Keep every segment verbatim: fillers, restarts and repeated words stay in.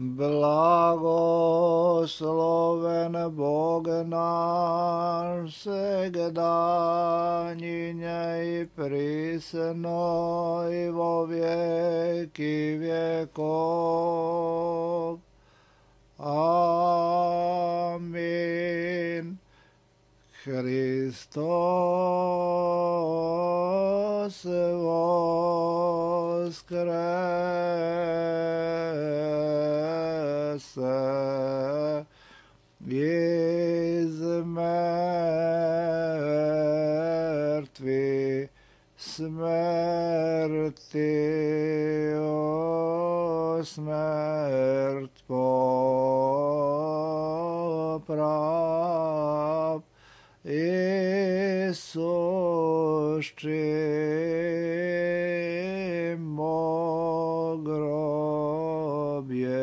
Blagosloven Bog naš, segdanjinje i prisno i vo vijeki vjekov. Amin. Hristos voskrese iz mrtvih, smrti o smrt poprav. Isuščimo grobje,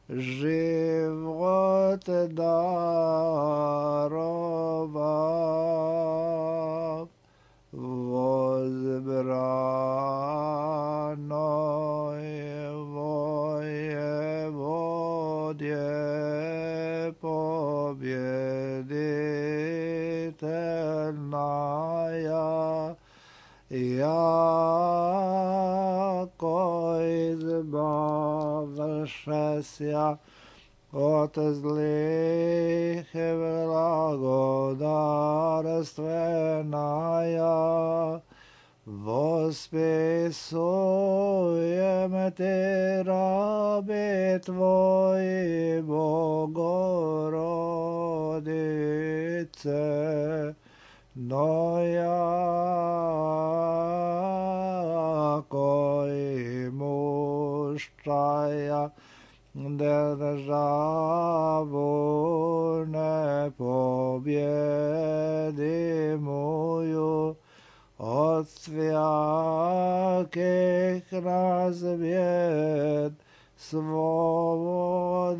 život darovav. Возбранoj vojevodje, pobjeditelnaja, jako izbavšesja od zlih blagodarstvenaja. Vospisujem ti, rabi tvoji, Bogorodice, no jako i muščaja državu ne pobjedimuju, od svjakih razbjed svobodi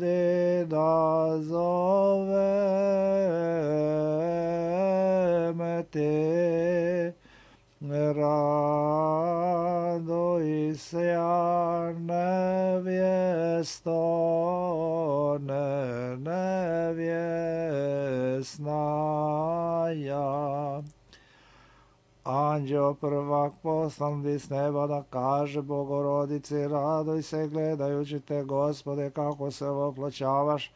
da zovem te. Raduj se, ja nevjesto, ne nevjesnaja. Anđeo prvak poslan bi s neba da kaže Bogorodici, raduj se gledajući te, Gospode, kako se oploćavaš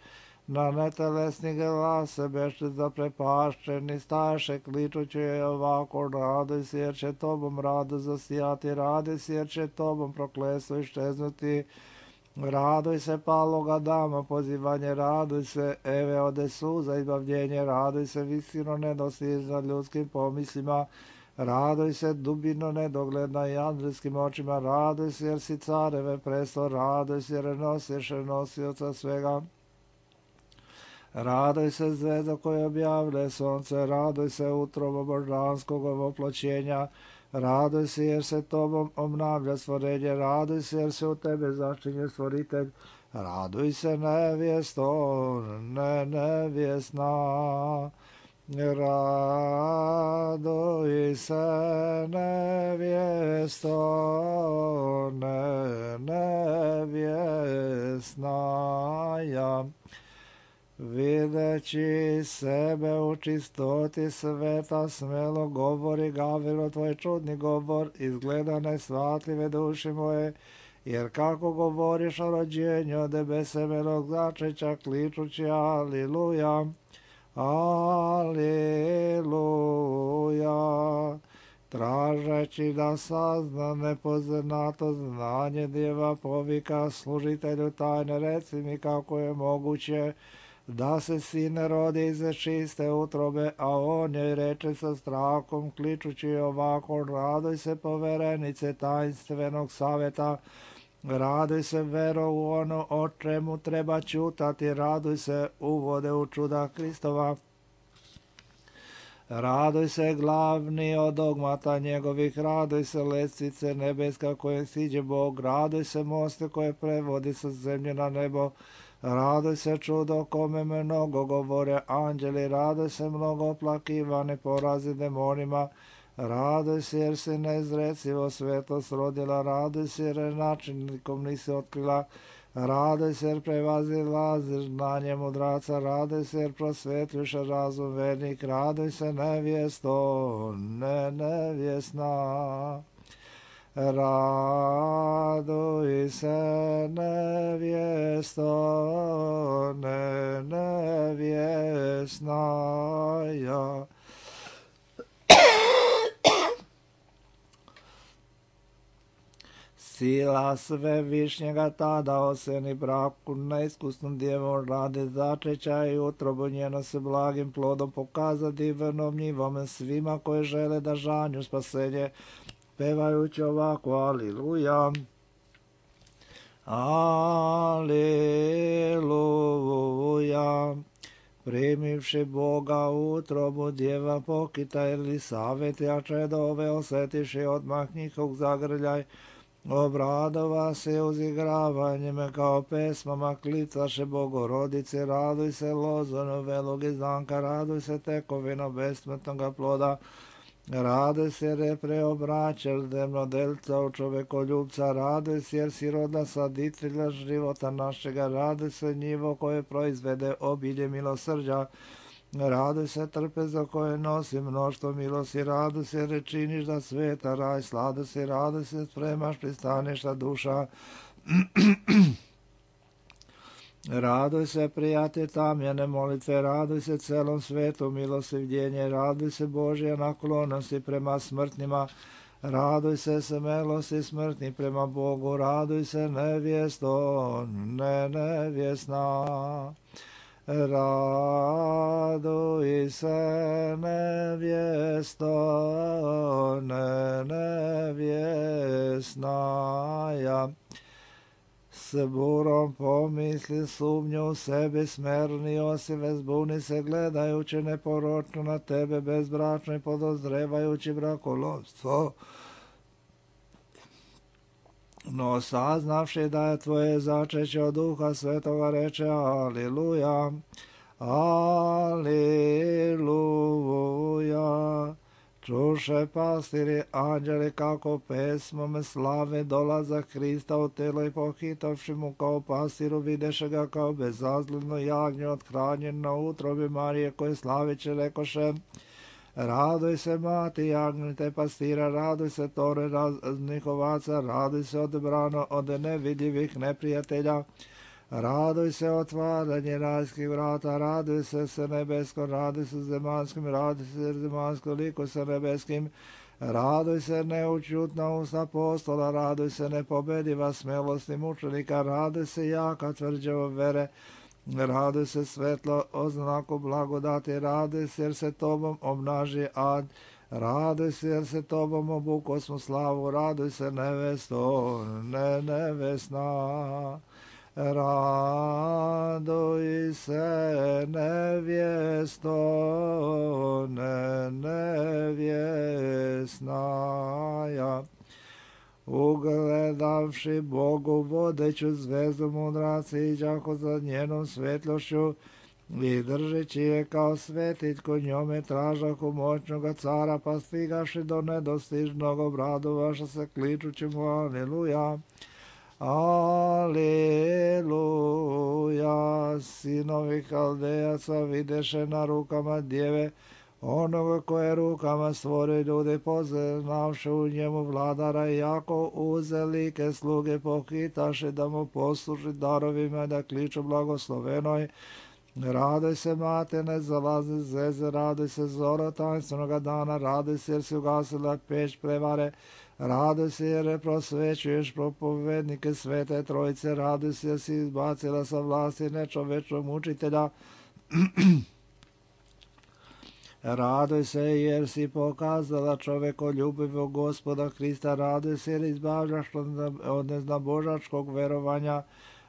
na netelesni glas, beše zaprepašćeni, staše kličući je ovako, raduj se jer će tobom rado zasijati, raduj se jer će tobom prokletstvo iščeznuti. Raduj se paloga dama, pozivanje, raduj se Eve ode suza, izbavljenje, raduj se visino nedostižna ljudskim pomislima, raduj se dubino nedogledna i andrijskim očima, raduj se jer si careve presto, raduj se jer nosiš nosioca svega. Raduj se zvezdo koje objavlje sunce, raduj se utrobo božanskog oploćenja, raduj se jer se tobom obnavlja stvorenje, raduj se jer se u tebe začinje stvoritelj, raduj se nevjesto, ne nevjesna. Raduj se nevjesto, ne nevjesnaja. Videći sebe u čistoti sveta, smelo govori Gavrilo tvoj čudni govor, izgleda nesvatljive duši moje, jer kako govoriš o rođenju od besemelog začeća, kličući aliluja, aliluja, tražeći da sazna nepoznato znanje djeva, povika služitelju tajne, reci mi kako je moguće da se sin rodi iz čiste utrobe, a on joj reče sa strahom, kličući ovako, raduj se poverenice tajnstvenog savjeta, raduj se vero u ono o čemu treba čutati, raduj se uvode u čuda Kristova. Raduj se glavni od dogmata njegovih, raduj se lestvice nebeska koje siđe Bog, raduj se moste koje prevodi sa zemlje na nebo, raduj se čudo kome mnogo govore anđeli, raduj se mnogo oplakivane porazi demonima, raduj se jer si neizrecivo svetost rodila, raduj se jer načinnikom nisi otkrila, Radoj se jer prevazilaziš znanje mudraca, radoj se jer prosvetljuš razum vernik, radoj se nevjesto, ne nevjesna. Raduj se nevjesto, ne nevjesna ja. Sila Svevišnjega tada oseni braku neiskusnom djevom radi začeća i utrobu njeno se blagim plodom pokazati vrnom njivome svima koje žele da žanju spasenje, pevajući ovako aliluja. Aliluja. Primivši Boga u utrobu djeva pokita Elisaveti, a čedove osjetiši odmah njihov zagrljaj, obradova se uzigravanjem kao pesmama klicaše Bogorodice, raduj se lozonu velog izdanka, raduj se tekovino besmrtnoga ploda, raduj se jer je preobraćel demnodelca u čovekoljubca, raduj se jer si roda saditelja života našega, raduj se njivo koje proizvede obilje milosrđa, raduj se trpezo koje nosi mnoštvo milosti, raduj se jer činiš da sveta raj, sladu se, raduj se spremaš pristaništa duša. Raduj se prijatelj tamjene molitve, raduj se celom svetu milostivljenje, raduj se Božja naklonosti prema smrtnima, raduj se smelosti smrtni prema Bogu, raduj se nevjesto, ne nevjesna. Raduj se nevjesto, ne nevjesna ja. S burom pomisli sumnju u sebi, smerni osive zbuni se gledajući neporočno na tebe bezbračno i podozrevajući brakolovstvo. No saznavši da je tvoje začeće od Duha Svetoga reče aliluja, aliluja. Čuše pastiri anđeli kako pesmom slave dolazak Hrista u telo i pohitavši mu kao pastiru videše ga kao bezazljedno jagnje othranjen na utrobi Marije koje slaviće rekoše, raduj se mati jagnjite pastira, raduj se tore raznih ovaca, raduj se odbrano od nevidljivih neprijatelja, raduj se otvaranje rajskih vrata, raduj se se nebeskom, raduj se zemanskim, raduj se zemanskom liku sa nebeskim, raduj se neučutna usta apostola, raduj se nepobediva smelosti mučenika, raduj se jaka tvrđava vere, raduj se svetlo oznaku blagodati, raduj se jer se tobom obnaži ad, raduj se jer se tobom obuko smo slavu, raduj se nevesto, ne nevesna. Raduj se nevjesto, ne nevjesna ja. Ugledavši Bogu vodeću zvezdu mudraci iđahu za njenom svetlošću i držeći je kao svetiljko njome tražahu moćnoga cara, pa stigaši do nedostižnog obradu vaša se kličući mu aliluja. Aleluja, sinovi Haldejaca videše na rukama djeve, onoga koje rukama stvori ljudi, poznavši u njemu vladara, i jako uzelike sluge pohitaše da mu posluži darovima da kliču blagoslovenoj. Raduj se mate, ne zalazi zeze, raduj se zoro tanstvenoga dana, raduj se jer si ugasila peć prevare, raduj se jer prosvećuješ propovednike Svete Trojice, raduj se jer si izbacila sa vlasti nečovečnog mučitelja, raduj se jer si pokazala čovekoljubivog Gospoda Hrista, raduj se jer izbavljaš od neznabožačkog verovanja,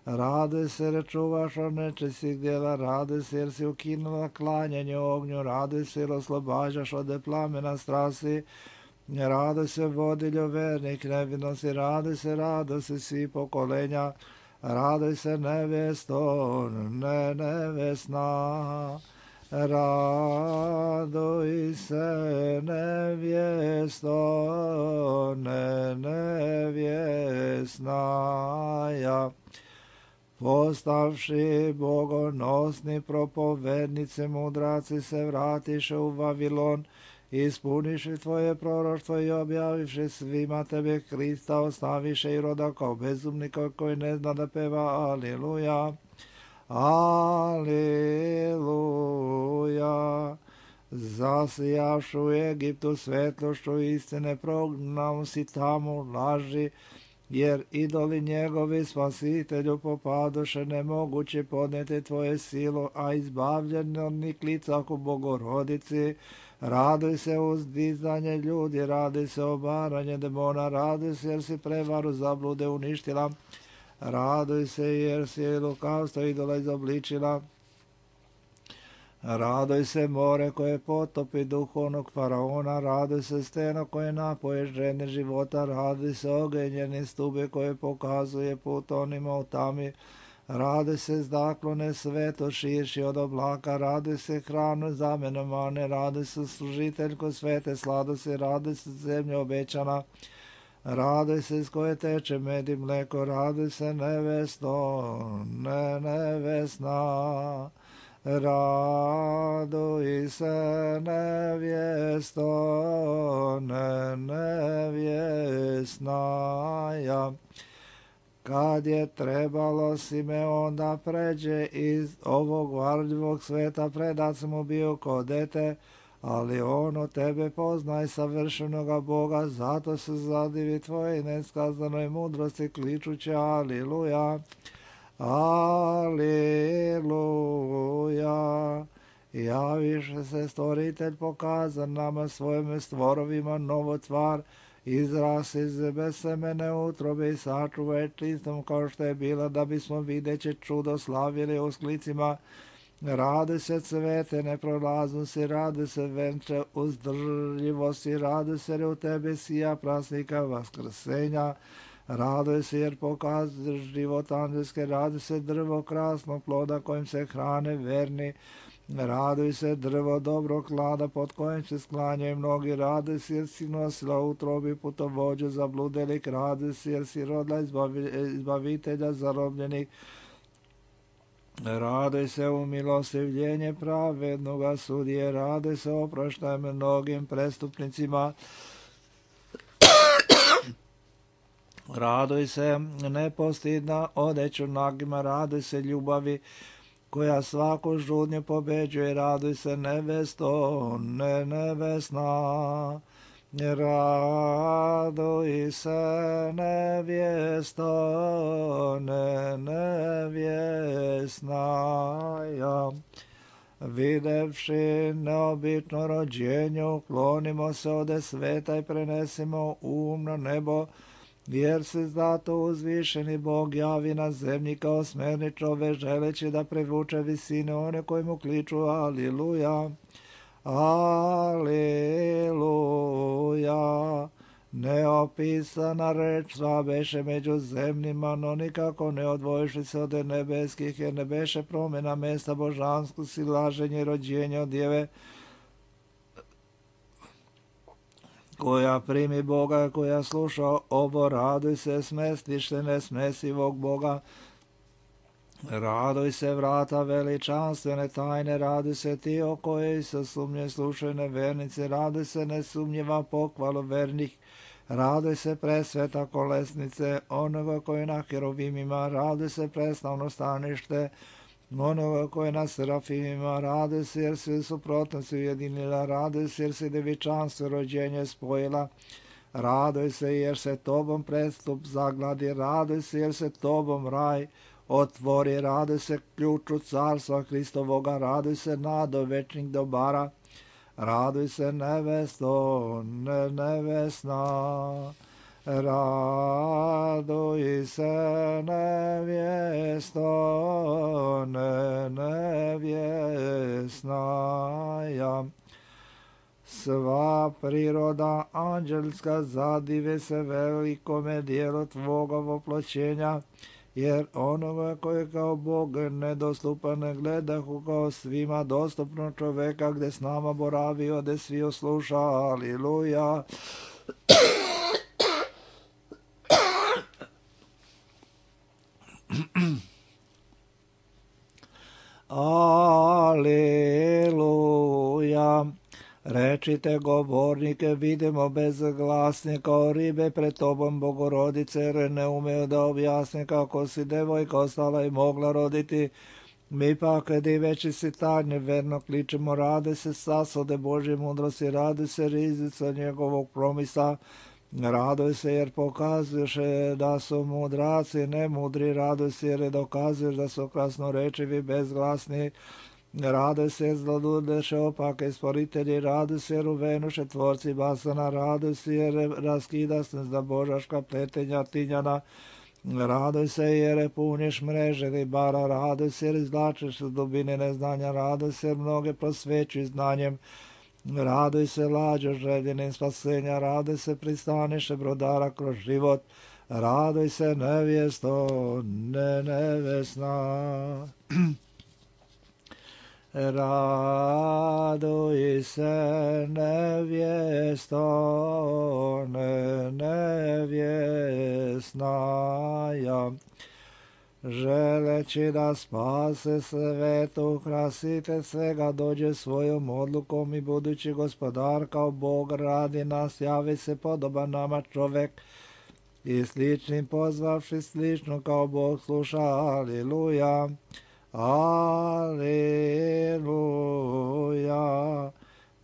raduj se jer čuvaš od nečistih djela, raduj se jer si ukinula klanjanje ognju, raduj se jer oslobađaš od plamena strasti, raduj se vodiljo vernik nevinosti, raduj se, raduj se svi pokolenja, raduj se nevjesto, ne nevjesna. Raduj se nevjesto, ne nevjesna ja. postavši bogonosni propovednice, mudraci se vratiše u Vavilon, ispuniši tvoje proroštvo i objavivši svima tebe Krista, ostaviše i roda kao bezumnika koji ne zna da peva Aliluja, Aliluja. Zasijavšu u Egiptu svetlošću istine, prognao si tamo laži, jer idoli njegovi spasitelju popadoše, nemoguće podneti tvoje silo, a izbavljen od njih lica u Bogorodici. Raduj se uzdizanje ljudi, raduj se obaranje demona, raduj se jer si prevaru zablude uništila, raduj se jer si lukavstvo idola izobličila. Raduj se more koje potopi duhovnog faraona, raduj se steno koje napoje žene života, raduj se ogenjeni stube koje pokazuje put onima u tami, raduj se zdaklone sveto širši od oblaka, raduj se hranu zamena mane, raduj se služiteljko svete sladosti, raduj se zemlja obećana, raduj se s koje teče med i mleko, raduj se nevesto, ne nevesna. Raduj se nevjesto, ne nevjesnaja. Kad je trebalo Simeon da pređe iz ovog varljivog sveta, predat mu bio ko dete, ali on od tebe poznaj savršenoga Boga, zato se zadivi tvoje neskazanoj mudrosti, kličući Aliluja. Aliluja. Javiše se stvoritelj, pokazan nama svojim stvorovima novo tvar, izras iz besemene utrobe i sačuvaj čistom kao što je bila, da bismo videće čudo slavili u sklicima. Radi se cvete neprolaznosti, radi se venče uzdržljivosti, radi se u tebi sija prasnika vaskrsenja. Raduj se jer pokazuješ život anđelske, raduj se drvo krasnog ploda kojim se hrane verni, raduj se drvo dobrog klada pod kojim se sklanjaju mnogi, raduj se jer si nosila u utrobi putovođu zabludelik, raduj se jer si rodila izbavi, izbavitelja zarobljenih, raduj se u milostivljenje pravednoga sudije, raduj se oproštaj mnogim prestupnicima, raduj se nepostidna odeću nagima, raduj se ljubavi koja svaku žudnju pobeđuje, raduj se nevesto, ne nevesna, raduj se nevjesto, ne nevjesnaja. Videvši neobično rođenje, uklonimo se ode sveta i prenesimo um na nebo, jer se zato uzvišeni Bog javi na zemlji kao smerni čove, želeći da privuče visine one koji mu kliču Aliluja, Aliluja. Neopisana reč sva beše među zemljima, no nikako ne odvojiši se od nebeskih, jer ne beše promjena mesta božanskog si laženje i rođenje od djeve, koja primi Boga, koja sluša ovo, raduj se smestište nesmesivog Boga, raduj se vrata veličanstvene tajne, raduj se ti o kojoj se sumnje slušaju nevernici, raduj se nesumnjiva pohvalu vernih, raduj se presveta kolesnice onoga koji na herovimima, raduj se preslavno stanište onoga koji na serafimima, raduj se jer se suprotnosti ujedinila, raduj se jer se devičanstvo rođenje spojila, raduj se jer se tobom prestup zagladi, raduj se jer se tobom raj otvori, raduj se ključu carstva Hristovoga, raduj se nado večnih dobara, raduj se nevesto, ne nevesna, raduj se nevjesto, ne nevjesnaja. Sva priroda anđelska zadive se velikome dijelu tvoga voploćenja, jer onoga koji kao Bog nedostupan gledahu kao svima dostupno čoveka, gde s nama boravi, ode svi osluša. Aliluja. Rečite govornike, vidimo bez glasne kao ribe pred tobom, Bogorodice, jer ne umeju da objasne kako si devojka ostala i mogla roditi. Mi pak, diveći si tajne, verno kličemo, rade se sasode Božje mudrosti, rade se rizica njegovog promisa, raduj se jer pokazuješ da su mudraci nemudri, raduj se jer dokazuješ da su krasnorečivi bezglasni, raduj se jer zlodudeše opake stvoritelji, raduj se jer uvenuše tvorci basana, raduj se jer raskidaš za božaška pletenja tinjana, raduj se jer puniš mreže ribara, raduj se jer izvlačiš iz dubine neznanja, raduj se jer mnoge prosvećuj znanjem, raduj se lađo željenim spasenja, raduj se pristaniše brodara kroz život, raduj se nevjesto ne nevesna. Raduj se nevjesto ne nevjesnaja, želeći da spase svetu, krasite svega, dođe svojom odlukom i budući gospodar kao Bog radi nas, javi se podoban nama čovek i sličnim pozvavši slično kao Bog sluša. Aliluja, aliluja.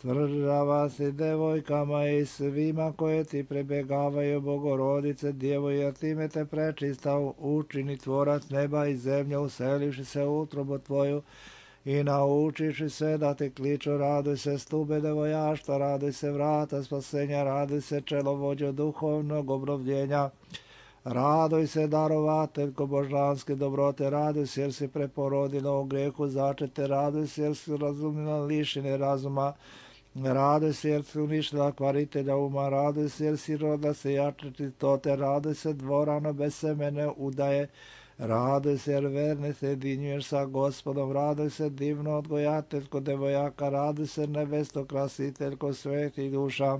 Tvrđava si devojkama i svima koje ti prebegavaju, Bogorodice Djevo, jer time te prečista učini tvorac neba i zemlje, uselivši se u utrobu tvoju i naučiši se da te kliču. Raduj se stube devojaštva, raduj se vrata spasenja, raduj se čelovođo duhovnog obnovljenja, raduj se darovateljko božanske dobrote, raduj se jer si preporodila u grehu začete, raduj se jer si razumila lišine razuma, raduj se jer si uništila kvaritelja uma, raduj se jer si rodila se jače čistote, raduj se dvorano bez semene udaje, raduj se jer verne se jedinjuješ sa Gospodom, raduj se divno odgojateljko devojaka, raduj se nevesto krasiteljko svetih duša,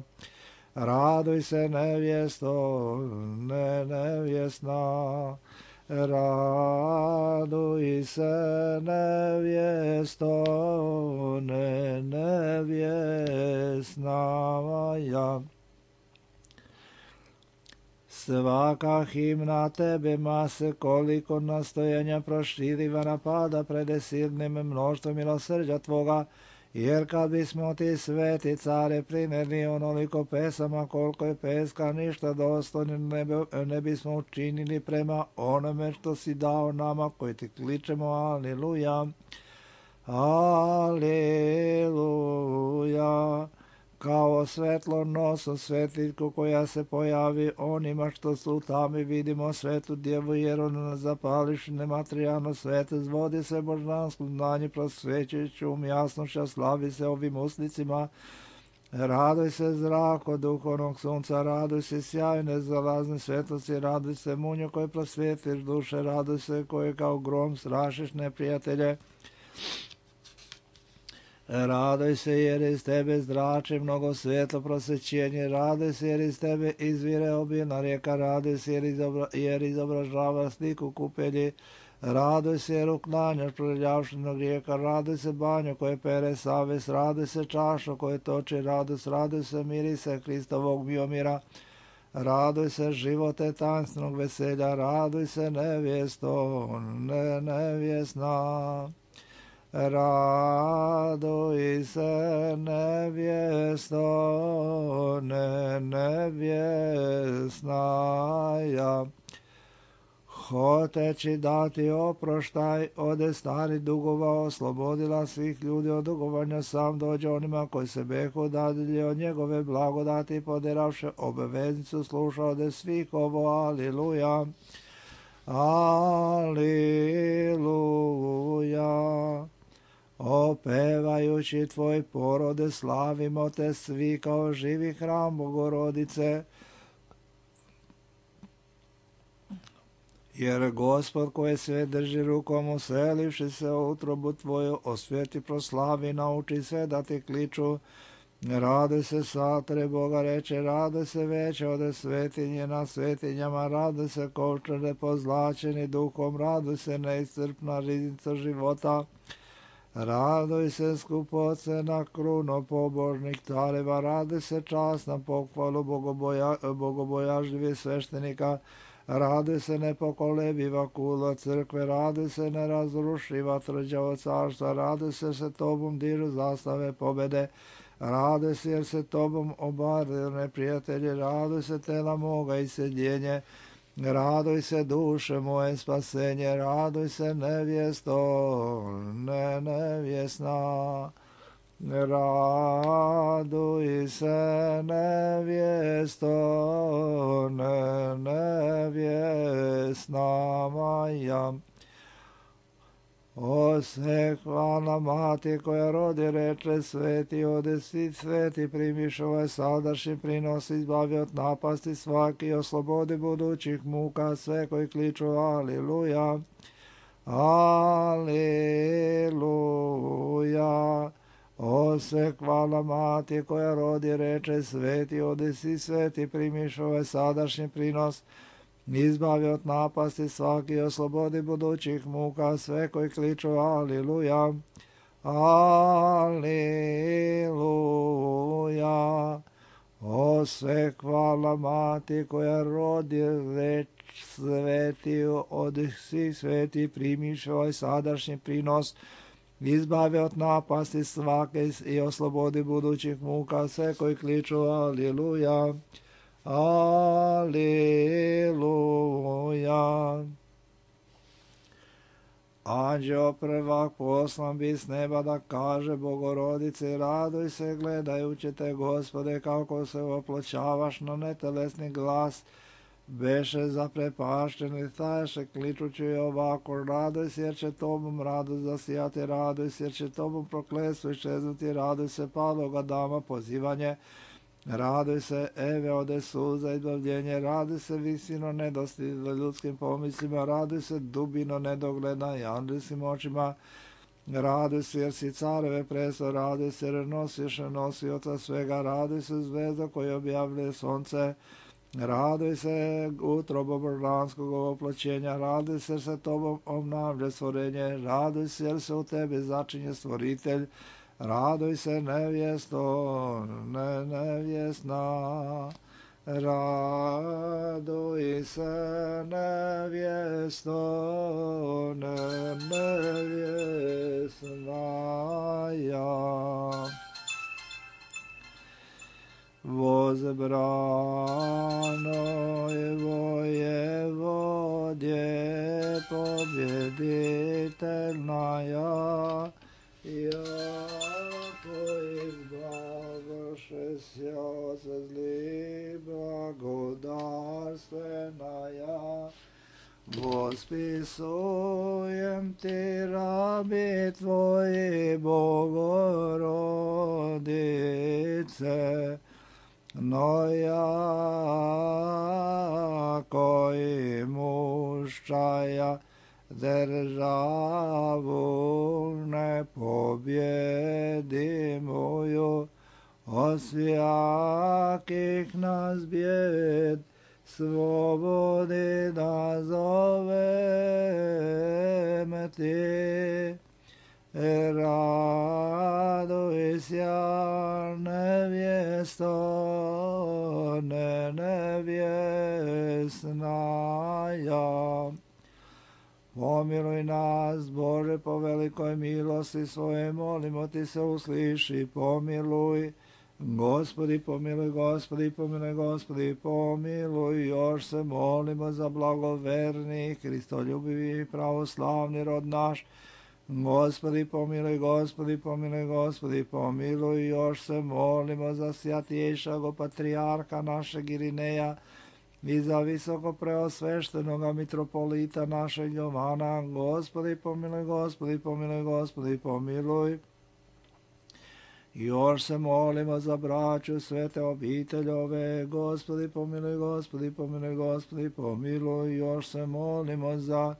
raduj se nevjesto ne nevjesna, raduj se nevjesto ne nevjesna. Svaka himna tebe mase koliko nastojanja proširiva napada prede silnim mnoštvom milosrđa tvoga, jer kad bismo ti sveti care primjerni onoliko pesama koliko je peska, ništa dostojno ne, ne bismo učinili prema onome što si dao nama koji ti kličemo. Aliluja, aliluja. Kao svetlo nosom svetiljku koja se pojavi onima što su u tami, vidimo svetu djevu, jer ona zapališ nematerijalno svete, zvodi se božansko znanje, prosvećujući um jasnošća, slavi se ovim usnicima. Raduj se zrako duhovnog sunca, raduj se sjajne zalazne svetlosti, raduj se munju koji prosvjetiš duše, raduj se koji kao grom strašiš neprijatelje. Raduj se jer iz tebe zrači mnogo svetlo prosvećenje, raduj se jer iz tebe izvire obilna rijeka, raduj se jer, izobra, jer izobražava sliku kupelji, raduj se jer uklanjaš proljeljavšenog rijeka, raduj se banju koje pere savest, raduj se čašu koje toči radost, raduj se mirise Hristovog biomira, raduj se živote tansnog veselja, raduj se nevjesto ne nevjesna. Raduj se nevjesto ne nevjesnaja, hoteći dati oproštaj ode stari dugova, oslobodila svih ljudi od dugovanja, sam dođe onima koji se behu dadilje od njegove blagodati, poderavše obaveznicu, sluša ode svih ovo. Aliluja, aliluja. Opevajući tvoj porode, slavimo te svi kao živi hram Bogorodice. Jer Gospod koji sve drži rukom, uselivši se u utrobu tvoju, osvjeti, proslavi, nauči sve da ti kliču. Raduj se satore Boga reče, raduj se veće ode svetinje na svetinjama, raduj se kovčane pozlačeni duhom, raduj se neiscrpna riznica života. Raduj se skupocena kruno pobožnih careva, raduj se čast na pohvalu bogoboja, bogobojažljivih sveštenika, raduj se nepokolebiva kulo crkve, raduj se nerazrušiva tvrđavo carstva, raduj se se tobom dižu zastave pobede, raduj se jer se tobom obaraju neprijatelji, raduj se tela moga i sjedjenje, raduj se duše moje spasenje, raduj se nevjesto, ne nevjesna. Raduj se nevjesto, ne nevjesna moja. O se hvala mati koja rodi reče sveti, odesi sveti primiš ovaj sadašnji prinos, izbavi od napasti svaki, oslobodi budućih muka sve koji kliču aliluja, aliluja. O se hvala mati koja rodi reče sveti, odesi sveti primiš ovaj sadašnji prinos, izbavi od napasti svaki, oslobodi budućih muka sve koji kliču aliluja, aliluja. O sve hvala mati koja rodi reč sveti, odesi sveti primiš ovaj sadašnji prinos, izbavi od napasti svake i oslobodi budućih muka sve koji kliču aliluja, aliluja. Anđeo prvak poslan bi s neba da kaže Bogorodici, raduj se gledajući te, Gospode, kako se oploćavaš, na netelesni glas beše zaprepašteni, staješe kličući ovako, raduj se jer će tobom radost zasijati, raduj se jer će tobom prokletstvo iščeznuti, raduj se paloga dama pozivanje, raduj se Eve ode suza izbavljenje, raduj se visino nedostižno ljudskim pomislima, raduj se dubino nedogledna i anđelskim očima, raduj se jer si careve presto, raduj se jer nosiš nosioca svega, raduj se zvezda koja objavljuje sonce, raduj se utrobo božanskog oploćenja, raduj se jer se tobom obnavlja stvorenje, raduj se jer se u tebi začinje stvoritelj, raduj se nevjesto, ne nevjesna, raduj se nevjesto, ne nevjesna ja. Возбранoj воеводе победительная, яко избавившись от зли благодарственная, восписуем ти раби твои, Богородице, но яко имущая державу непобедимую, от всяких нас бед свободы назовем ти. Радуйся, невесто, не невестная. Помилуй нас, Боже, по великой милости Своей, молимо Ти се услыши, помилуй. Господи, помилуй, Господи, помилуй, Господи, помилуй. Još se molimo za blagoverni, Hristoljubivi, pravoslavni rod naš. Gospodi, pomiluj, Gospodi, pomiluj, Gospodi, pomiluj. Još se molimo za svjatješago patrijarha našeg Irineja i za visoko preosveštenoga mitropolita našeg Jovana. Gospodi, pomiluj, Gospodi, pomiluj, Gospodi, pomiluj. Još se molimo za braću svete obiteljove. Gospodi, pomiluj, Gospodi, pomiluj, Gospodi, pomiluj. Još se molimo za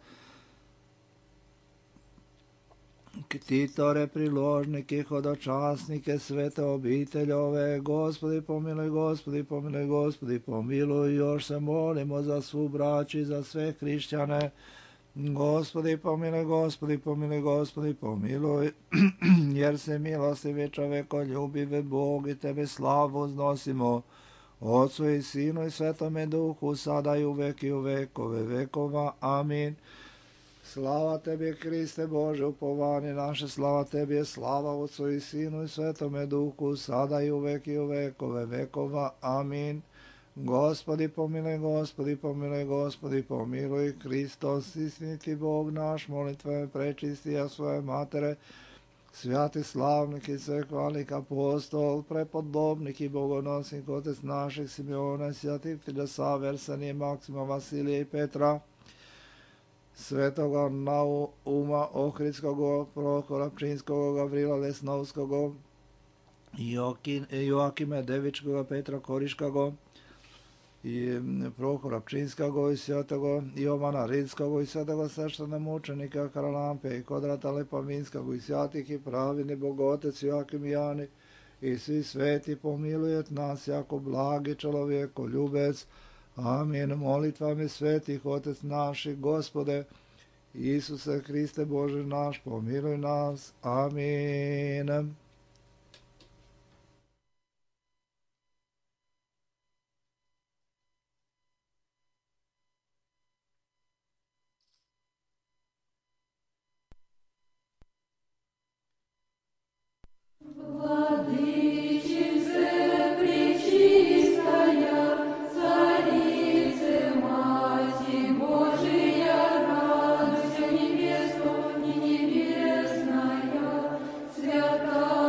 ktitore, priložnike, hodočasnike, svete obiteljove. Gospodi, pomiluj, Gospodi, pomiluj, Gospodi, pomiluj. Još se molimo za svu braću i za sve hrišćane. Gospodi pomiluj, Gospodi pomiluj, Gospodi pomiluj, jer se milostivi čoveko ljubive Bog i Tebe slavu uznosimo, Otcu i Sinu i Svetome Duhu, sada i uvek i u vekove vekova. Amin. Slava Tebi, Kriste Bože, upovanje naše, slava Tebi je slava Otcu i Sinu i Svetome Duhu, sada i uvek i u vekove vekova. Amin. Gospodi pomiluj, Gospodi pomiluj, Gospodi pomiluj, Hristos, istiniti Bog naš, molitvama prečisti, a svoje matere, svjati slavnik i svekovalnik apostol, prepodobnik i bogonosnik, otec naših Simeona, svjatih Filosaver, Sanije, Maksima, Vasilija i Petra, svetoga Nauma Ohridskog, Prohora Pčinskog, Gavrila Lesnovskog, Joakime Devičkog, Petra Koriškog, i Prohora Pčinskog i svetoga Jovana Ridskog i svetoga sveštena mučenika Karalampe i Kodrata Lepavinskog i svjatih i pravini Bogotec Joakim i Jani i svi sveti pomilujet nas jako blagi čovjeko ljubec. Amin. Molitvami svetih Otec naših, Gospode Isuse Hriste Bože naš, pomiluj nas. Amin. Святая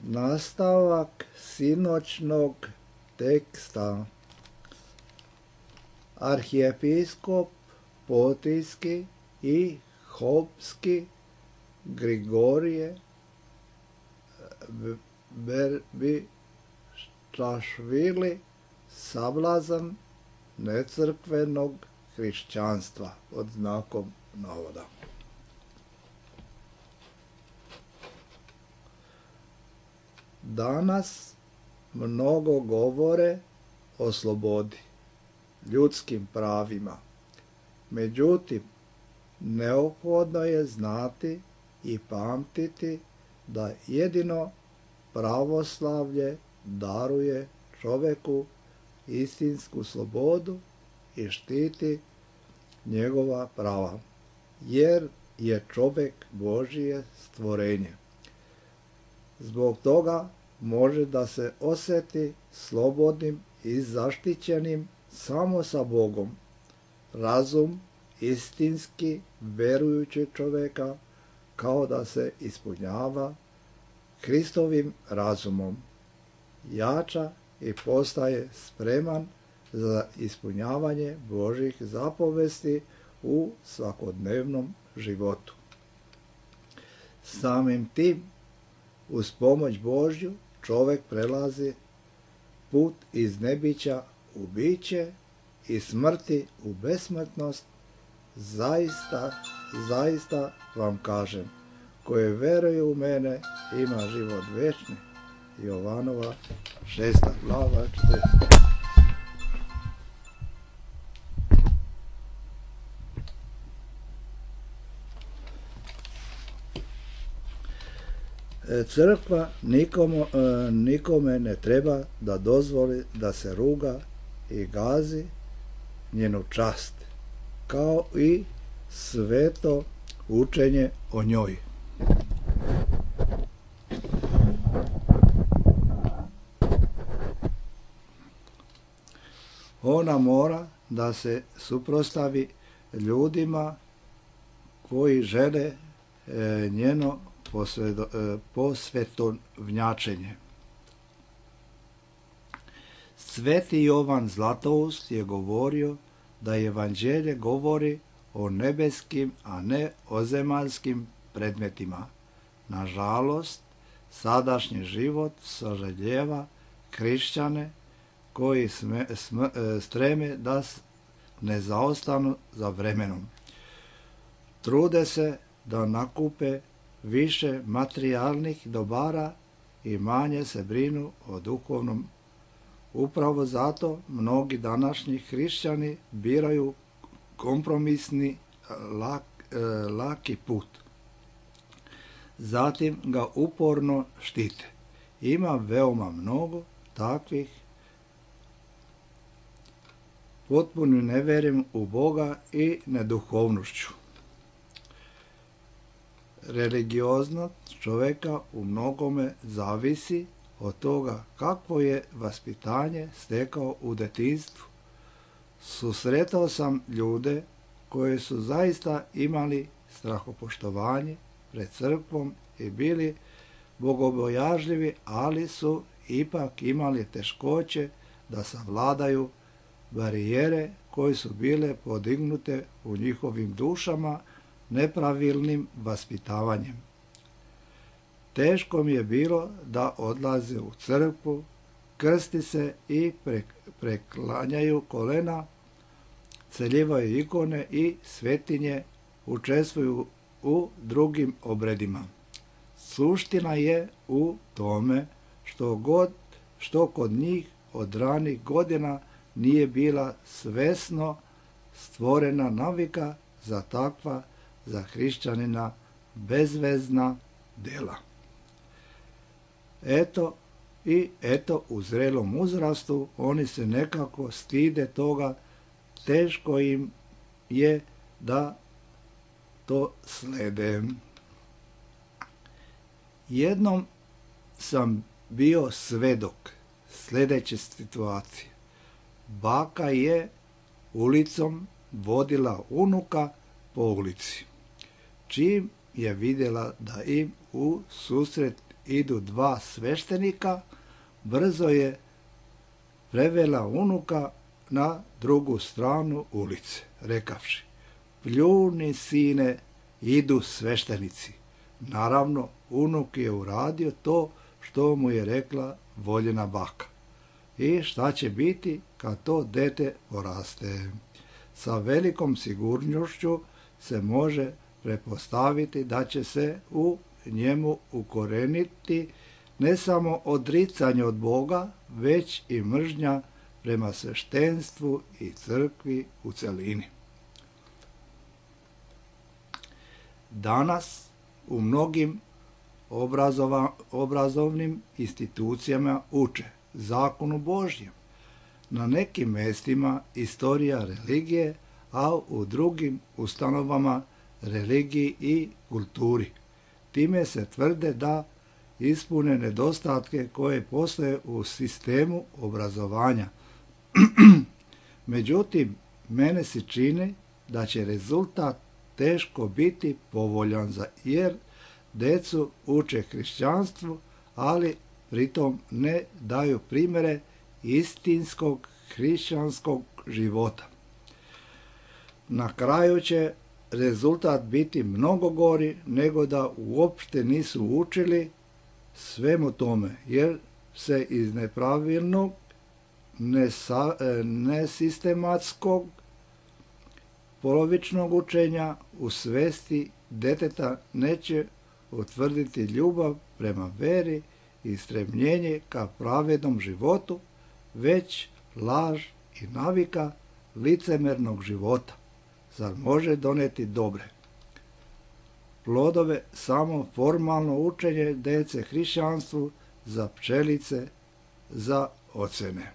Nastavak sinoćnog teksta. Arhijepiskop Potijski i Hopski Grigorije Berbičašvili sablazan necrkvenog hrišćanstva pod znakom navoda. Danas mnogo govore o slobodi, ljudskim pravima. Međutim, neophodno je znati i pamtiti da jedino pravoslavlje daruje čoveku istinsku slobodu i štiti njegova prava, jer je čovek Božije stvorenje. Zbog toga može da se osjeti slobodnim i zaštićenim samo sa Bogom. Razum istinski verujućeg čoveka kao da se ispunjava Hristovim razumom, jača i postaje spreman za ispunjavanje Božjih zapovesti u svakodnevnom životu. Samim tim, uz pomoć Božju, čovek prelazi put iz nebića u biće i smrti u besmrtnost. Zaista, zaista vam kažem, koje veruju u mene ima život večni. Jovanova šesta glava četrnaesta. Crkva nikome, nikome ne treba da dozvoli da se ruga i gazi njenu čast, kao i sveto učenje o njoj. Ona mora da se suprotstavi ljudima koji žele e, njeno posvetovnjačenje. Sveti Jovan Zlatoust je govorio da evanđelje govori o nebeskim, a ne o zemaljskim predmetima. Nažalost, sadašnji život sažaljeva hrišćane koji sme, sme, streme da ne zaostanu za vremenom. Trude se da nakupe više materijalnih dobara i manje se brinu o duhovnom. Upravo zato mnogi današnji hrišćani biraju kompromisni lak, laki put. Zatim ga uporno štite. Ima veoma mnogo takvih. Potpuno neverim u Boga i neduhovnošću. Religioznost čoveka u mnogome zavisi od toga kakvo je vaspitanje stekao u detinjstvu. Susretao sam ljude koji su zaista imali strahopoštovanje pred crkvom i bili bogobojažljivi, ali su ipak imali teškoće da savladaju barijere koje su bile podignute u njihovim dušama nepravilnim vaspitavanjem. Teško mi je bilo da odlaze u crkvu, krsti se i preklanjaju kolena, celjevaju ikone i svetinje, učestvuju u drugim obredima. Suština je u tome što god što kod njih od ranih godina nije bila svesno stvorena navika za takva, za hrišćanina, bezvezna dela. Eto i eto u zrelom uzrastu oni se nekako stide toga, teško im je da to slede. Jednom sam bio svedok sljedeće situacije. Baka je ulicom vodila unuka po ulici. Čim je vidjela da im u susret idu dva sveštenika, brzo je prevela unuka na drugu stranu ulice, rekavši: pljuni, sine, idu sveštenici. Naravno, unuk je uradio to što mu je rekla voljena baka. I šta će biti kad to dete poraste? Sa velikom sigurnošću se može pretpostaviti da će se u njemu ukoreniti ne samo odricanje od Boga, već i mržnja prema sveštenstvu i crkvi u celini. Danas u mnogim obrazova, obrazovnim institucijama uče zakonu Božjem. Na nekim mestima istorija religije, a u drugim ustanovama religiji i kulturi. Time se tvrde da ispune nedostatke koje postoje u sistemu obrazovanja. Međutim, mene se čini da će rezultat teško biti povoljan, jer decu uče hrišćanstvu, ali pritom ne daju primjere istinskog hrišćanskog života. Na kraju će rezultat biti mnogo gori nego da uopšte nisu učili svemu tome, jer se iz nepravilnog, nesa, nesistematskog, polovičnog učenja u svesti deteta neće utvrditi ljubav prema veri i stremljenje ka pravednom životu, već laž i navika licemernog života. Zar može doneti dobre plodove samo formalno učenje dece hrišćanstvu za pčelice, za ocene?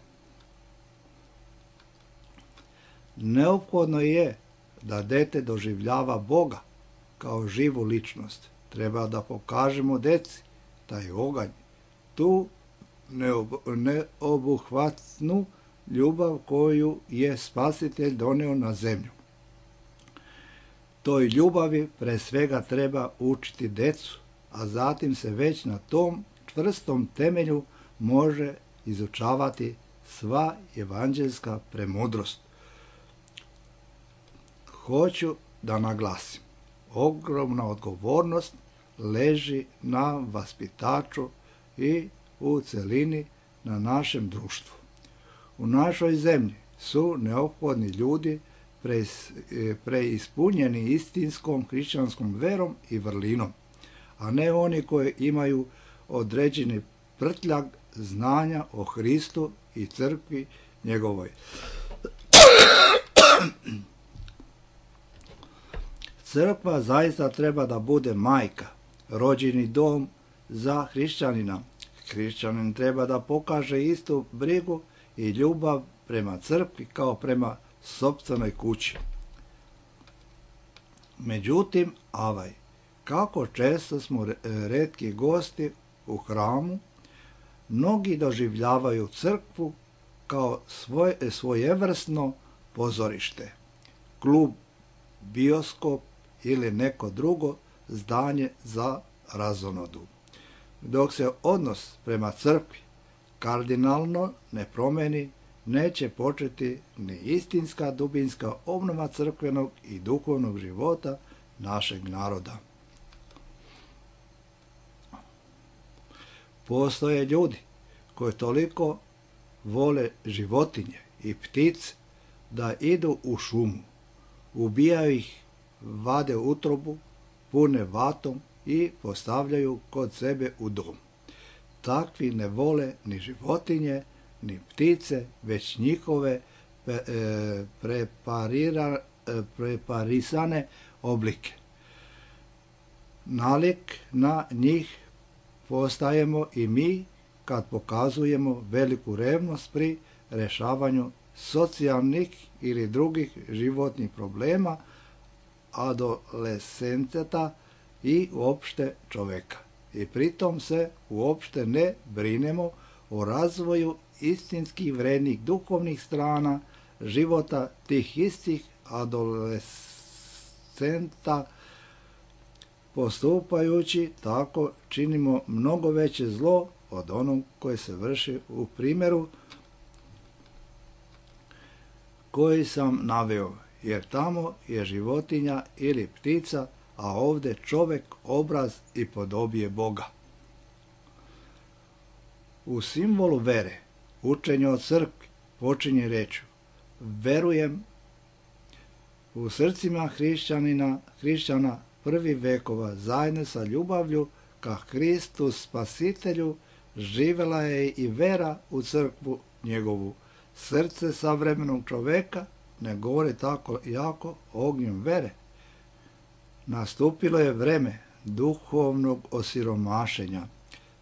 Neophodno je da dete doživljava Boga kao živu ličnost. Treba da pokažemo deci taj oganj, tu neobuhvatnu ljubav koju je Spasitelj doneo na zemlju. Toj ljubavi pre svega treba učiti decu, a zatim se već na tom čvrstom temelju može izučavati sva evanđelska premudrost. Hoću da naglasim, ogromna odgovornost leži na vaspitaču i u celini na našem društvu. U našoj zemlji su neophodni ljudi preispunjeni istinskom hrišćanskom verom i vrlinom, a ne oni koji imaju određeni prtljag znanja o Hristu i crkvi njegovoj. Crkva zaista treba da bude majka, rođeni dom za hrišćanina. Hrišćanin treba da pokaže istu brigu i ljubav prema crkvi kao prema sopstvenoj kući. Međutim, avaj, kako često smo retki gosti u hramu, mnogi doživljavaju crkvu kao svoj, svojevrsno pozorište, klub, bioskop ili neko drugo zdanje za razonodu. Dok se odnos prema crkvi kardinalno ne promeni, neće početi ni istinska dubinska obnova crkvenog i duhovnog života našeg naroda. Postoje ljudi koji toliko vole životinje i ptice da idu u šumu, ubijaju ih, vade utrobu, pune vatom i postavljaju kod sebe u dom. Takvi ne vole ni životinje, ni ptice, već njihove e, preparira, e, preparisane oblike. Nalik na njih postajemo i mi kad pokazujemo veliku revnost pri rešavanju socijalnih ili drugih životnih problema adolescenta i uopšte čoveka. I pritom se uopšte ne brinemo o razvoju istinski vrednih duhovnih strana života tih istih adolescenta Postupajući tako činimo mnogo veće zlo od onog koje se vrši u primjeru koji sam naveo, jer tamo je životinja ili ptica, a ovdje čovjek, obraz i podobije Boga. U simbolu vere, učenje o crkvi počinje rečju: verujem. U srcima hrišćanina, hrišćana prvi vekova zajedno sa ljubavlju ka Hristu Spasitelju živjela je i vera u crkvu njegovu. Srce savremenog čoveka ne govori tako jako ognjem vere. Nastupilo je vreme duhovnog osiromašenja.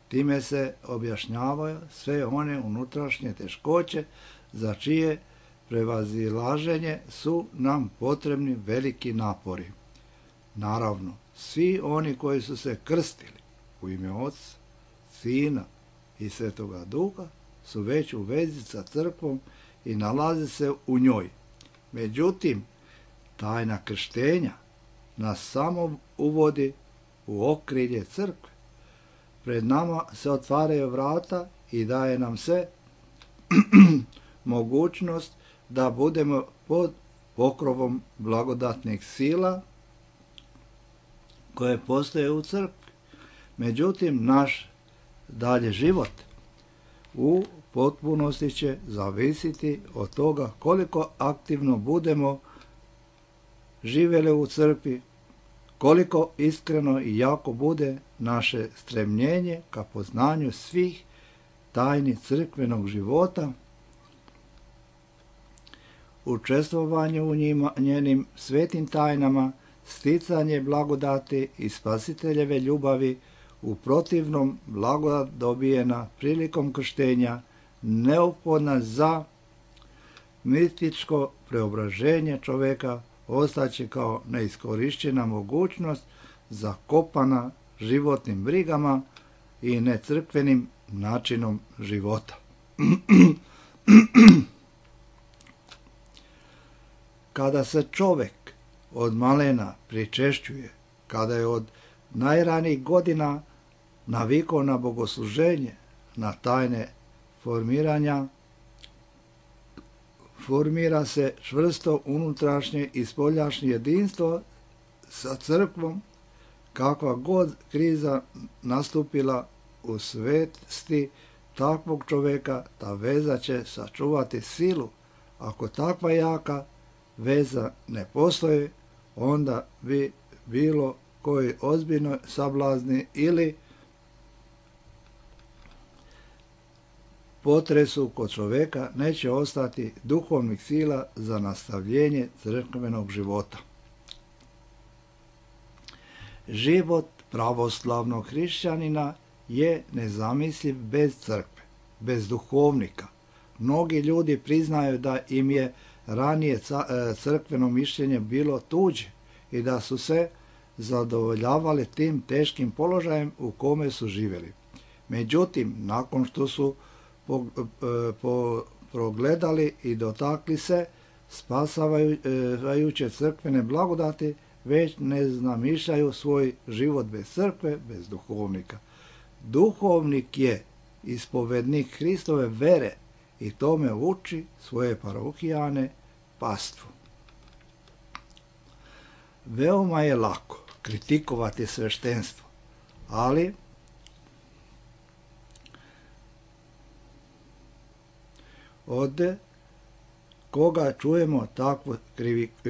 Time se objašnjavaju sve one unutrašnje teškoće za čije prevazilaženje su nam potrebni veliki napori. Naravno, svi oni koji su se krstili u ime Oca, Sina i Svetoga Duha su već u vezi sa crkvom i nalaze se u njoj. Međutim, tajna krštenja nas samo uvodi u okrilje crkve. Pred nama se otvaraju vrata i daje nam se mogućnost da budemo pod pokrovom blagodatnih sila koje postoje u crkvi. Međutim, naš dalje život u potpunosti će zavisiti od toga koliko aktivno budemo živjeli u crkvi, koliko iskreno i jako bude naše stremljenje ka poznanju svih tajni crkvenog života, učestvovanje u njima, njenim svetim tajnama, sticanje blagodati i Spasiteljeve ljubavi. U protivnom, blagodat dobijena prilikom krštenja neophodna za mističko preobraženje čoveka ostaće kao neiskorišćena mogućnost zakopana životnim brigama i necrkvenim načinom života. Kada se čovek od malena pričešćuje, kada je od najranijih godina navikao na bogosluženje, na tajne formiranja, formira se čvrsto unutrašnje i spoljašnje jedinstvo sa crkvom. Kakva god kriza nastupila u svesti takvog čoveka, ta veza će sačuvati silu. Ako takva jaka veza ne postoji, onda bi bilo koji ozbiljno sablazni ili potresu kod čoveka neće ostati duhovnih sila za nastavljenje crkvenog života. Život pravoslavnog hrišćanina je nezamisliv bez crkve, bez duhovnika. Mnogi ljudi priznaju da im je ranije crkveno mišljenje bilo tuđe i da su se zadovoljavali tim teškim položajem u kome su živjeli. Međutim, nakon što su po, po, progledali i dotakli se spasavajuće crkvene blagodati, već ne znamišljaju svoj život bez crkve, bez duhovnika. Duhovnik je ispovednik Hristove vere i tome uči svoje parohijane pastvu. Veoma je lako kritikovati sveštenstvo, ali od koga čujemo takvu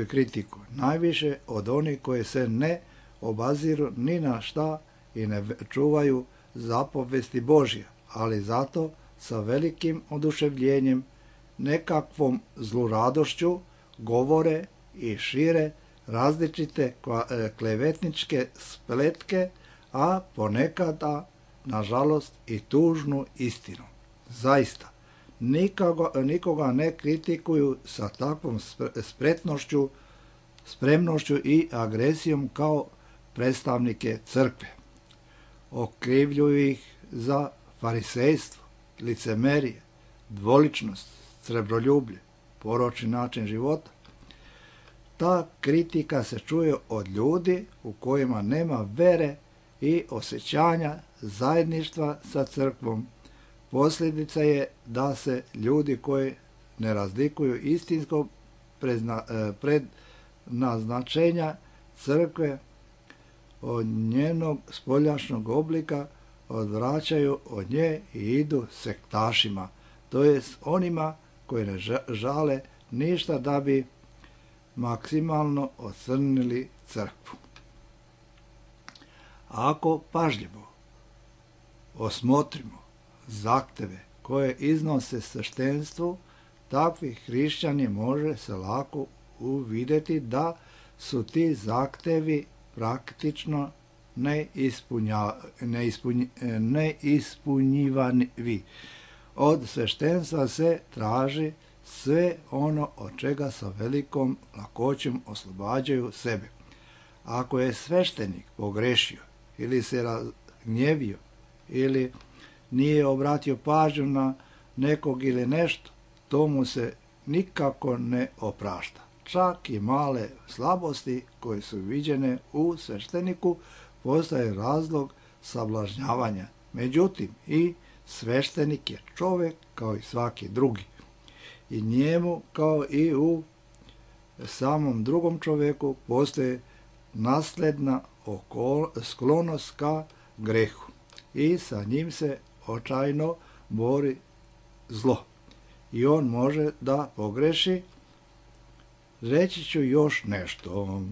kritiku? Najviše od onih koji se ne obaziru ni na šta i ne čuvaju zapovesti Božja, ali zato sa velikim oduševljenjem, nekakvom zluradošću govore i šire različite klevetničke spletke, a ponekada, nažalost, i tužnu istinu. Zaista, nikoga, nikoga ne kritikuju sa takvom spretnošću, spremnošću i agresijom kao predstavnike crkve. Okrivljuju ih za farisejstvo, licemerije, dvoličnost, srebroljublje, poročni način života. Ta kritika se čuje od ljudi u kojima nema vere i osjećanja zajedništva sa crkvom. Posljedica je da se ljudi koji ne razlikuju istinsko prednaznačenja crkve od njenog spoljašnjeg oblika odvraćaju od nje i idu sektašima, to jest onima koji ne žale ništa da bi maksimalno ocrnili crkvu. Ako pažljivo osmotrimo zahteve koje iznose sveštenstvu, takvi hrišćani može se lako uvidjeti da su ti zahtevi praktično neispunjivi. Od sveštenstva se traži sve ono od čega sa velikom lakoćom oslobađaju sebe. Ako je sveštenik pogrešio ili se razgnjevio ili nije obratio pažnju na nekog ili nešto, to mu se nikako ne oprašta. Čak i male slabosti koje su viđene u svešteniku postaje razlog sablažnjavanja. Međutim, i sveštenik je čovjek kao i svaki drugi. I njemu, kao i u samom drugom čovjeku, postoje nasledna sklonost ka grehu. I sa njim se očajno bori zlo. I on može da pogreši. Reći ću još nešto.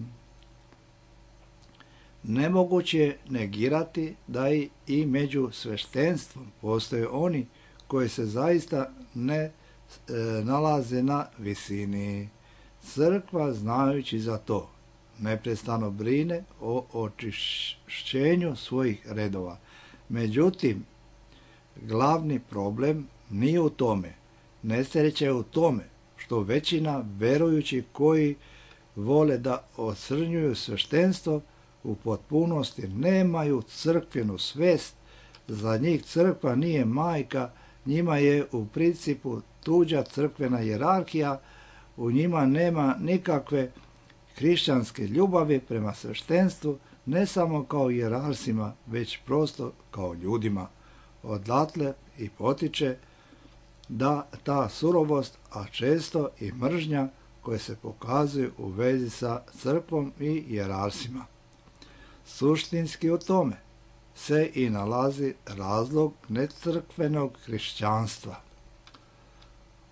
Nemoguće je negirati da i među sveštenstvom postoje oni koji se zaista ne e, nalaze na visini. Crkva, znajući za to, neprestano brine o očišćenju svojih redova. Međutim, glavni problem nije u tome. Nesreća je u tome što većina verujući koji vole da ocrnjuju sveštenstvo u potpunosti nemaju crkvenu svest. Za njih crkva nije majka, njima je u principu tuđa crkvena hijerarhija, u njima nema nikakve hrišćanske ljubavi prema sveštenstvu, ne samo kao hijerarsima, već prosto kao ljudima. Odatle i potiče da ta surovost, a često i mržnja koje se pokazuju u vezi sa crkvom i hijerarsima. Suštinski u tome se i nalazi razlog necrkvenog hrišćanstva.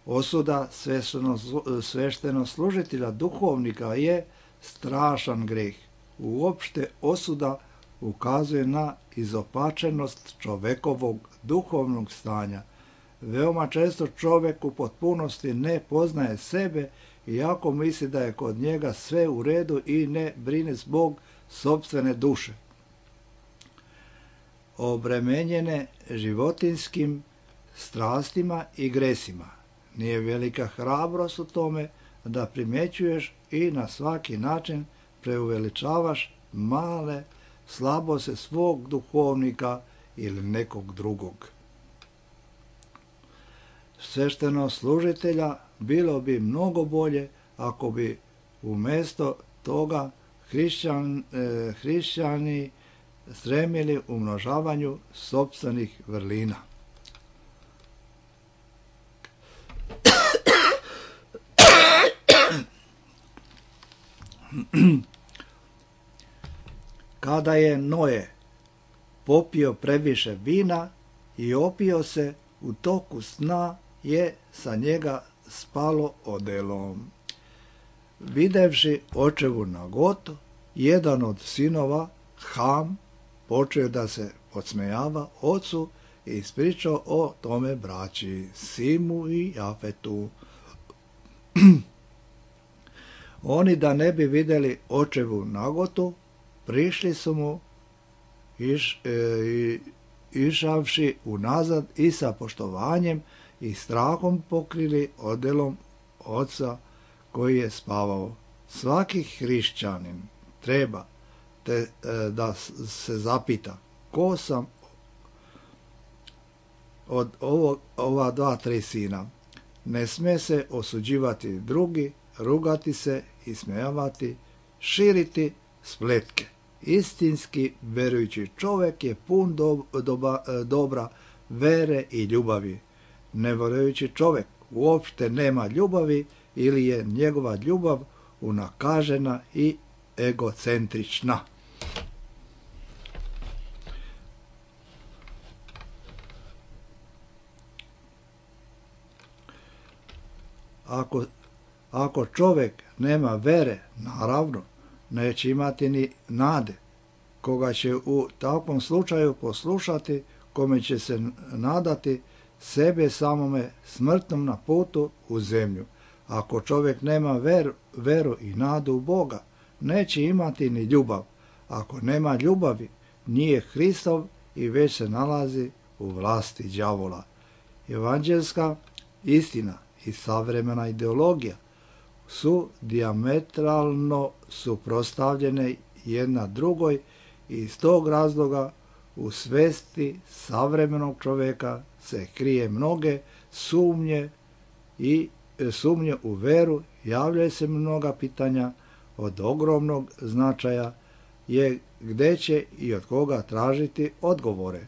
Osuda sveštenoslужitelja duhovnika je strašan greh. Uopšte osuda ukazuje na izopačenost čovekovog duhovnog stanja. Veoma često čovjek u potpunosti ne poznaje sebe, iako misli da je kod njega sve u redu i ne brine zbog sopstvene duše. Obremenjene životinskim strastima i gresima. Nije velika hrabrost u tome da primjećuješ i na svaki način preuveličavaš male slabosti svog duhovnika ili nekog drugog. Sveštenoslужitelja bilo bi mnogo bolje ako bi umjesto toga hrišćan, eh, hrišćani stremili umnožavanju sopstvenih vrlina. Kada je Noe popio previše vina i opio se, u toku sna je sa njega spalo odelo. Videvši očevu nagotu, jedan od sinova, Ham, počeo da se podsmejava ocu i ispričao o tome braći Simu i Jafetu. Oni, da ne bi vidjeli očevu nagotu, prišli su mu iš, e, išavši unazad i sa poštovanjem i strahom pokrili odelom oca koji je spavao. Svaki hrišćanin treba te, da se zapita ko sam od ovo, ova dva, tri sina. Ne sme se osuđivati drugi, rugati se, ismejavati, širiti spletke. Istinski verujući čovjek je pun do, doba, dobra, vere i ljubavi. Nevjerujući čovjek uopšte nema ljubavi ili je njegova ljubav unakažena i egocentrična. Ako, ako čovjek nema vere, naravno, neće imati ni nade. Koga će u takvom slučaju poslušati, kome će se nadati, sebe samome smrtnom na putu u zemlju. Ako čovjek nema veru, veru i nadu u Boga, neće imati ni ljubav. Ako nema ljubavi, nije Hristov i već se nalazi u vlasti đavola. Evanđelska istina i savremena ideologija su dijametralno suprotstavljene jedna drugoj i iz tog razloga u svesti savremenog čovjeka se krije mnoge sumnje i sumnje u veru, javljaju se mnoga pitanja od ogromnog značaja je gdje će i od koga tražiti odgovore.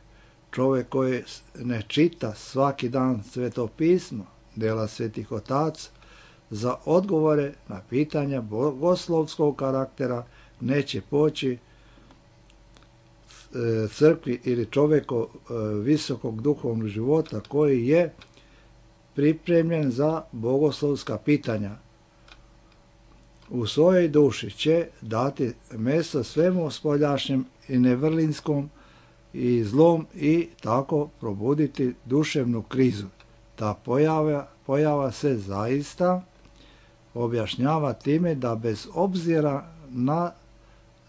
Čovjek koji ne čita svaki dan Sveto pismo, djela svetih otaca, za odgovore na pitanja bogoslovskog karaktera neće poći crkvi ili čovjeku visokog duhovnog života koji je pripremljen za bogoslovska pitanja. U svojoj duši će dati mjesto svemu spoljašnjem i nevrlinskom i zlom i tako probuditi duševnu krizu. Ta pojava, pojava se zaista objašnjava time da bez obzira na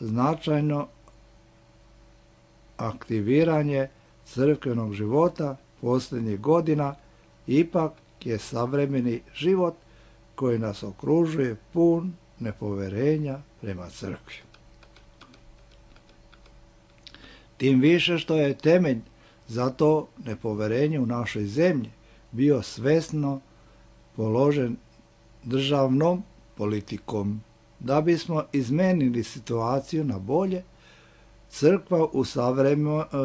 značajno aktiviranje crkvenog života posljednjih godina, ipak je savremeni život koji nas okružuje pun nepoverenja prema crkvi. Tim više što je temelj za to nepoverenje u našoj zemlji bio svesno položen državnom politikom. Da bismo izmenili situaciju na bolje, crkva u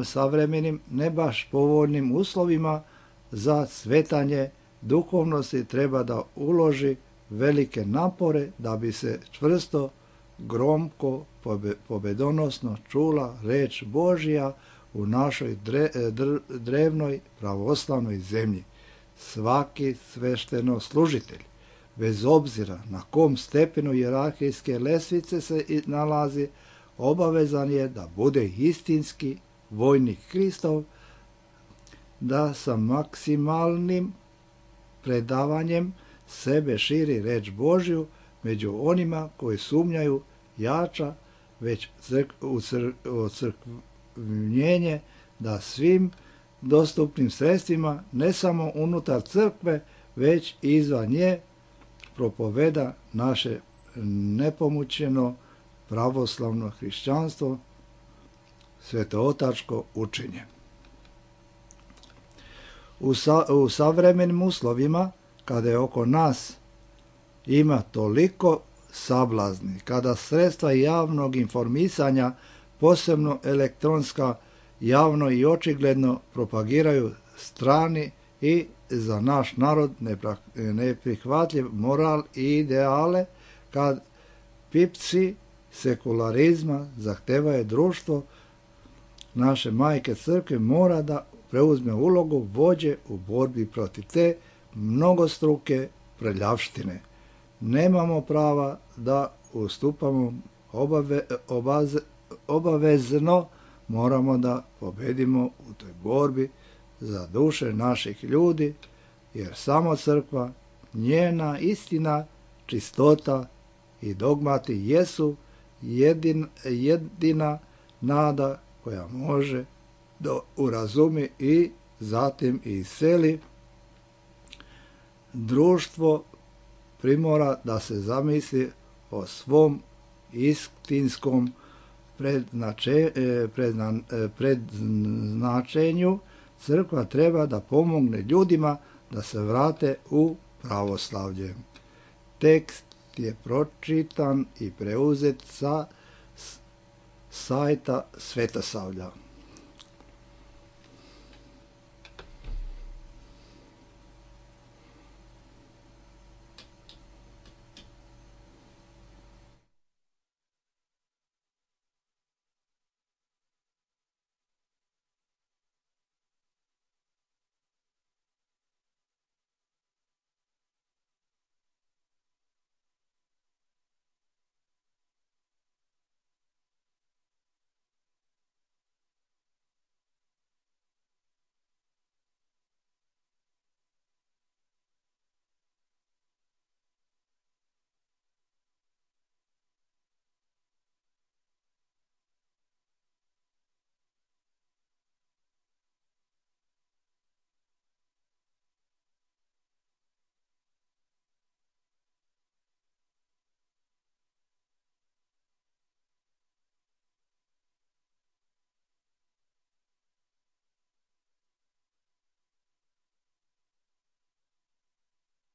savremenim, ne baš povoljnim uslovima za svetanje duhovnosti treba da uloži velike napore da bi se čvrsto, gromko, pobedonosno čula reč Božja u našoj dre, dr, drevnoj pravoslavnoj zemlji. Svaki svešteno služitelj, bez obzira na kom stepenu hijerarhijske lestvice se nalazi, obavezan je da bude istinski vojnik Hristov, da sa maksimalnim predavanjem sebe širi reč Božju među onima koji sumnjaju jača već ucrkvljenje da svim dostupnim sredstvima, ne samo unutar crkve, već i izvan nje, propoveda naše nepomućeno pravoslavno hrišćanstvo, svetootačko učenje. U, sa, u savremenim uslovima, kada je oko nas ima toliko sablazni, kada sredstva javnog informisanja, posebno elektronska, javno i očigledno propagiraju strani i za naš narod neprihvatljiv moral i ideale, kad pipci sekularizma zahtevaju društvo, naše majke crkve mora da preuzme ulogu vođe u borbi protiv te mnogostruke prljavštine. Nemamo prava da ustupamo obave, obaze, obavezno, moramo da pobedimo u toj borbi za duše naših ljudi, jer samo crkva, njena istina, čistota i dogmati jesu jedin, jedina nada koja može da urazumi i zatim iseli društvo, primora da se zamisli o svom istinskom predznače, predna, predznačenju. Crkva treba da pomogne ljudima da se vrate u pravoslavlje. Tekst je pročitan i preuzet sa sajta Svetosavlja.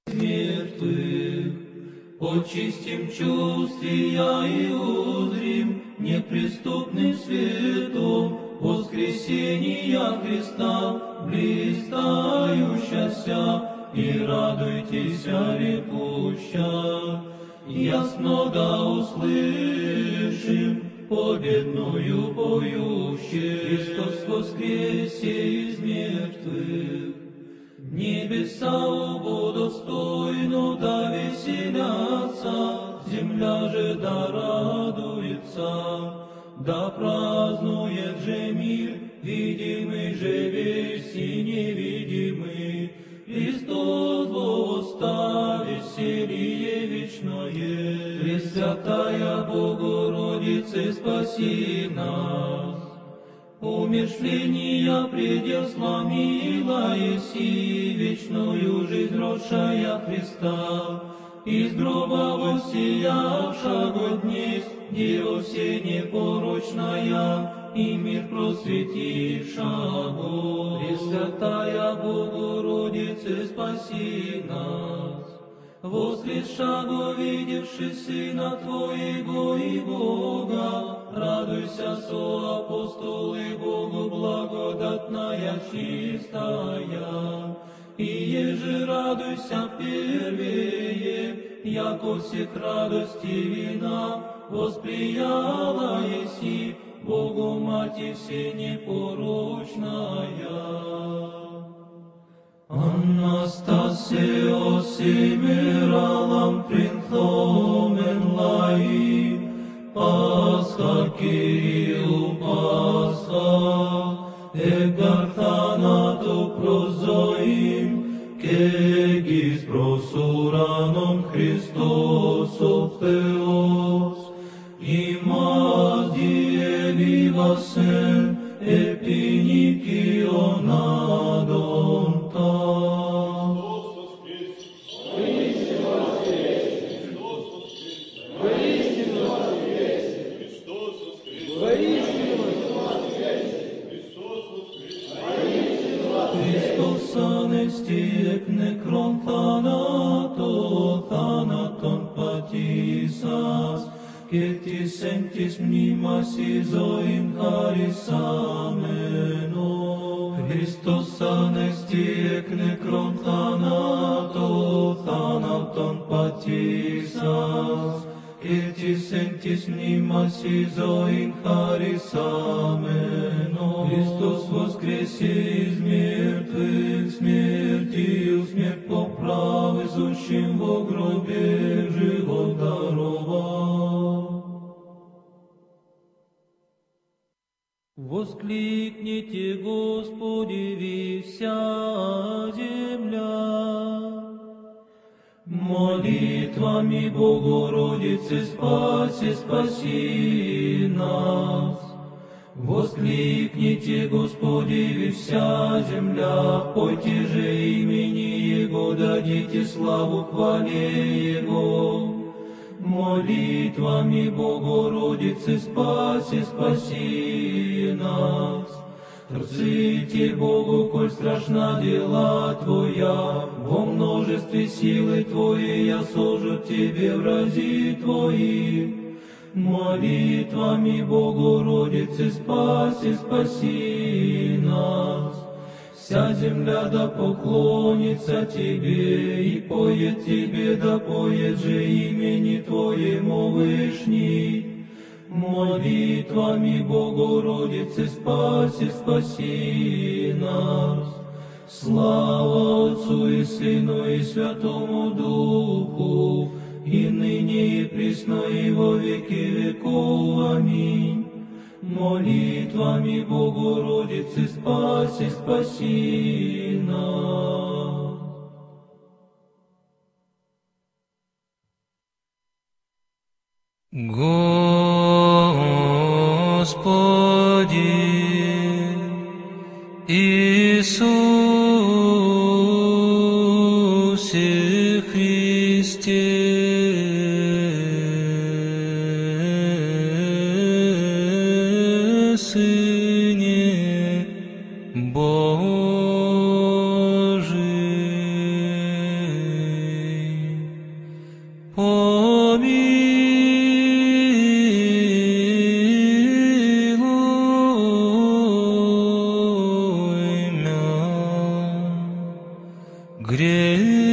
Мертвых, очистим чувствия и узрим неприступным светом воскресения Христа, блистающаяся, и радуйтесь, рекуща. Ясно да услышим победную поющую, Христос воскресе из мертвых. Небеса оба достойно да веселятся, земля же да радуется, да празднует же мир, видимый же весь и невидимый. Христос восста, веселье вечное, Пресвятая Богородице, спаси нас. Умершления предел сломила еси, вечную жизнь родшая Христа, из гроба воссиявшего днесь, Дева все непорочная, и мир просветившего. Пресвятая Богородице, спаси нас. Воскресшего, видевши Сына Твоего и Бога, радуйся, со апостолы Богу благодатная чистая. И еже радуйся первее, яко всех радости вина, восприяла еси Богу Мати все непорочная. Anastasio semiralam princhomen lai, Pascha Kyriou Pascha, egarthanato prozoim, kegis prosuranom Christos o Theos, imas die vivasen, epinicionadon ta. Χριστός ανέστη εκ νεκρών θάνατο, θάνατον πατήσας, και της εν της μνήμας εις ζωήν χαρισάμενο. Χριστός ανέστη εκ νεκρών θάνατο, θάνατον πατήσας, και της εν της μνήμας εις ζωήν χαρισάμενο. Χριστός воскресе из мертвых, смертью смерть поправившим во гробе живот даровал. Воскликните, Господи, вся земля, молитвами Богородицы спаси, спаси нас. Воскликните, Господи, вся земля, пойте же имени Его, дадите славу хвале Его. Молитвами Богородицы спаси, спаси нас. Трците Богу, коль страшна дела Твоя, во множестве силы Твоей я сожу Тебе врази Твои. Молитвами Богородицы спаси, спаси нас. Вся земля да поклонится Тебе, и поет Тебе, да поет же имени Твоему Вышний. Молитвами Богородицы спаси, спаси нас. Слава Отцу и Сыну и Святому Духу, и ныне и присно и во веки веков. Аминь. Молитвами Богородицы спаси, спаси нас. Господи Иисусе Христе, Сыне Божий, помилуй мя, грешного.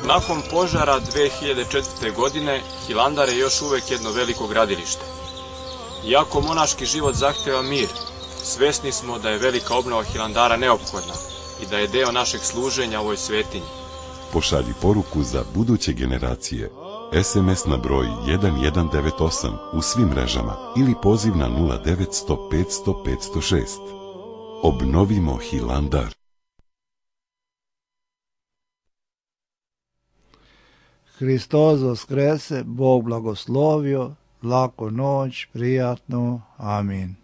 Nakon požara dve hiljade četvrte. godine, Hilandar je još uvek jedno veliko gradilište. Iako monaški život zahteva mir, svesni smo da je velika obnova Hilandara neophodna i da je deo našeg služenja ovoj svetinji. Pošalji poruku za buduće generacije. es em es na broj jedan jedan devet osam u svim mrežama ili poziv na nula devet sto petsto petsto šest. Obnovimo Hilandar. Hristos Voskrese, Bog blagoslovio, laku noć, prijatno, amin.